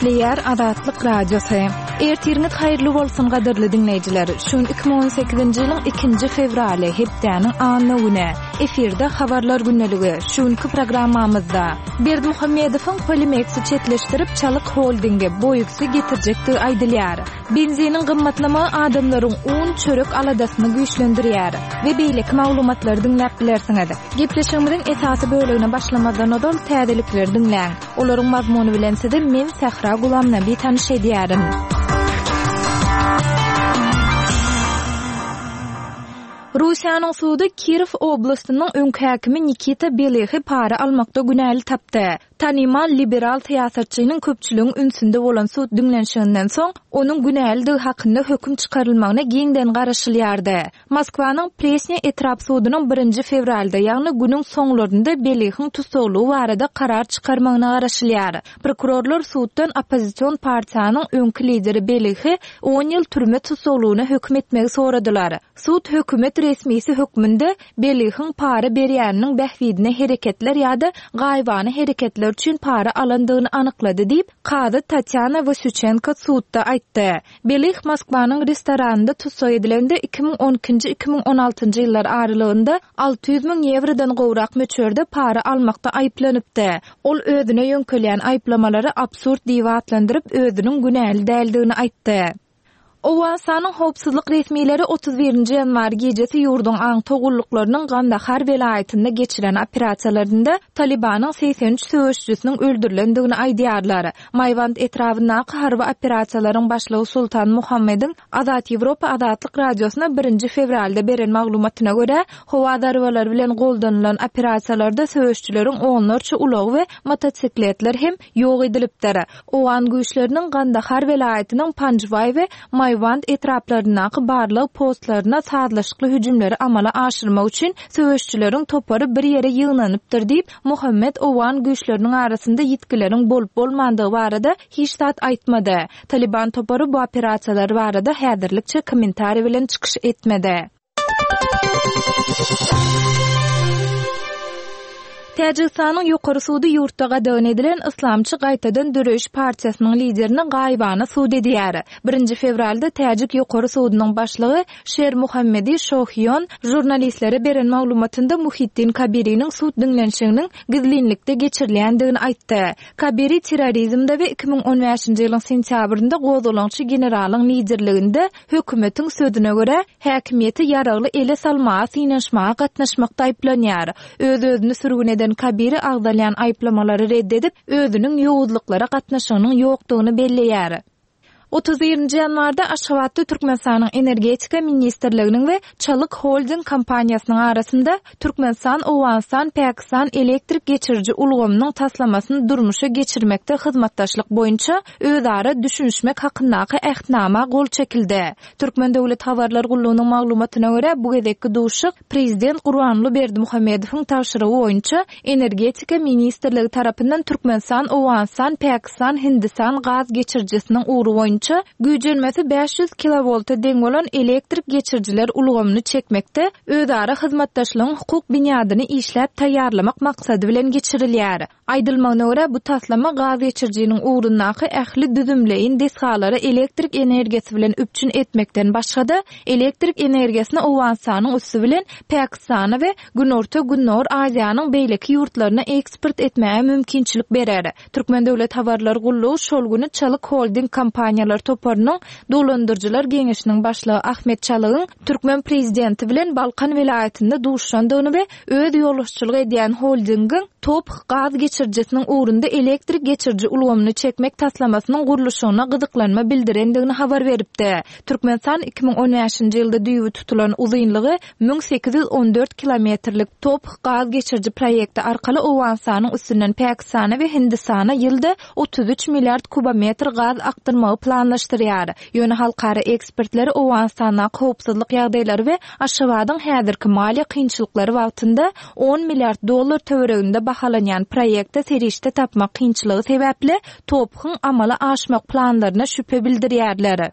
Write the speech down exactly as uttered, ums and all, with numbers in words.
Gepleýär Azatlyk Radiosy. Ertiriňiz haýyrly bolsun gadyrly diňleýjiler. Şu gün iki müň on sekizinji ýylyň ikinji fewraly, hepdäniň anna güni. Efirde habarlar gündeligi. Şu günki programmamyzda Berdimuhamedowyň Polimeksi çetleşdirip Çalyk holdingi, Boýuksy getirjekdigi aýdylýar. Benziniň gymmatlamagy adamlaryň un, çörek aladasyny güýçlendirýär we beýleki maglumatlary diňläp bilersiňiz. Gepleşigimiziň esasy bölegine başlamazdan ozal täzelikleri diňläň. Olaryň mazmuny bilen sizi men Sähra Gulamnabi tanyş edýärin. Russiýanyň sudy Kirow oblastynyň öňki häkimi Nikita Belyhy para almakda günäli tapdy. Tanymal liberal syýasatçynyň köpçüligiň ünsünde bolan sud diňlenişiginden soň, onuň günälidigi hakynda höküm çykarylmagyna giňden garaşylýardy. Moskwanyň Presnýa etrap sudunyň birinji fewralda, ýagny günüň soňlarynda Belyhyň tussaglygy barada karar çykarmagyna garaşylýar. Prokurorlar suddan oppozision partiýanyň öňki lideri Belyhy on ýyl türme tussaglygyna höküm etmegi soradylar. Sud hökümet resmisi hökmünde Belyhyň para berýäniniň bähbidine hereketler ýa-da gaýybana hereketler üçin para alandygyny anyklady diýip, kazy Tatýana Wasýuçenko sudda aýtdy. Belyh Moskwanyň restoranynda tussag edilende iki müň on ikinji iki müň on altynjy ýyllar aralygynda alty ýüz müň ýewrodan gowrak möçberde para almakda aýyplanypdy. Ol özüne ýöňkelýän aýyplamalary absurd diýip atlandyryp, özüniň günäli däldigini aýtdy. Owganystanyň howpsuzlyk resmileri otuz birinji ýanwar gijesi ýurduň aňtaw gulluklarynyň Gandahar welaýatynda geçiren operasiýalarynda Talibanyň segsen üç söweşçisiniň öldürilendigini aýdýarlar. Maýwand etrabyndaky harby operasiýalaryň başlygy Sultan Muhammediň Azat Ýewropa Azatlyk Radiosyna birinji fewralda beren maglumatyna görä, howa zarbalary bilen goldanylan operasiýalarda söweşçileriň onlarça ulagy we motosikletler hem ýok edilipdir. Owgan güýçleriniň Gandahar welaýatynyň Panjwaý we Maýwand etraplaryndaky barlyk postlaryna sazlaşykly hüjümleri amala aşyrmak üçin söweşçileriň topary bir ýere ýygnanypdyr diýip, Muhammed Owgan güýçleriniň arasynda ýitgileriň bolup bolmandygy barada hiç zat aýtmady. Taliban topary bu operasiýalar barada häzirlikçe kommentariý bilen çykyş etmedi. Täjigistanyň ýokary sudy ýurtda gadagan edilen Islamçy gaýtadan döreýiş partiýasynyň liderini gaýybana sud edýär. Birinji fewralda Täjik ýokary sudunyň başlygy Şer Muhammedi Şohiyon jurnalistlere beren maglumatynda Muhiddin Kabiriniň sud diňlenişiginiň gizlinlikde geçirilýändigini aýtdy. Kabiri terrorizmde we iki müň on bäşinji ýylyň sentýabrynda gozgalaňçy generalyň liderliginde hökümetiň sözüne görä häkimiýeti ýaragly ele salmaga synanyşmaga gatnaşmakda aýyplanýar. Öz-özüni sürgün eden Kabiri agzalýan aýyplamalary red edip, özüniň ýowuzlyklara gatnaşygynyň ýokdugyny belleýär. Otuz birinji ýanwarda Aşgabatda Türkmenistanyň Energetika ministrliginiň we Çalyk Holding kompaniýasynyň arasynda Türkmenistan, Owganystan, Pakistan elektrik geçiriji ulgamynyň taslamasyny durmuşa geçirmekde hyzmatdaşlyk boýunça özara düşünişmek hakyndaky ähtnama gol çekildi. Türkmen Döwlet Habarlar Gullugynyň maglumatyna görä, bu gezekki duşuk Prezident Gurbanguly Berdimuhamedowyň tabşyrygy boýunça Energetika ministrligi tarapyndan Türkmenistan, Owganystan, Pakistan, Hindistan gaz geçirijisiniň ugry boýunça güýjenmesi bäş ýüz kilovolta deň bolan elektrik geçirijiler ulgamyny çekmekde özara hyzmatdaşlygyň hukuk binýadyny işläp taýýarlamak maksady bilen geçirilýär. Aýdylmagyna görä, bu taslama gaz geçirijiniň ugrundaky ähli düzümleýin desgalary elektrik energiýasy bilen üpjün etmekden başga-da elektrik energiýasyny Owganystanyň üsti bilen Pakistana we Günorta-Gündogar Aziýanyň beýleki ýurtlaryna eksport etmäge mümkinçilik berer. Türkmen Döwlet Habarlar Gullugy şol güni Çalyk Holding kompaniýalar toparynyň dolandyryjylar geňeşiniň başlygy Ahmet Çalygyň Türkmen prezidenti bilen Balkan welaýatynda duşandygyny we öz ýolbaşçylyk edýän holdingiň Top gaz geçirijisiniň ugrunda elektrik geçiriji ulgamyny çekmek taslamasynyň gurluşygyna gyzyklanma bildirendigini habar beripdi. Türkmenistan iki müň on bäşinji ýylda düýbi tutulan uzynlygy müň sekiz ýüz on dört kilometrlik Top gaz geçiriji proýekti arkaly Owganystanyň üstünden Pakistana we Hindistana ýylda otuz üç milliard kubometr gaz akdyrmagy planlaşdyrýar. Ýöne halkara ekspertleri Owganystandaky howpsuzlyk ýagdaýlary we Aşgabadyň häzirki maliýe kynçylyklary wagtynda on milliard dollar töwereginde bahalanýan proýekte serişde tapmak kynçylygy sebäpli Tophyň amala aşmak planlaryna şübhe bildirýärler.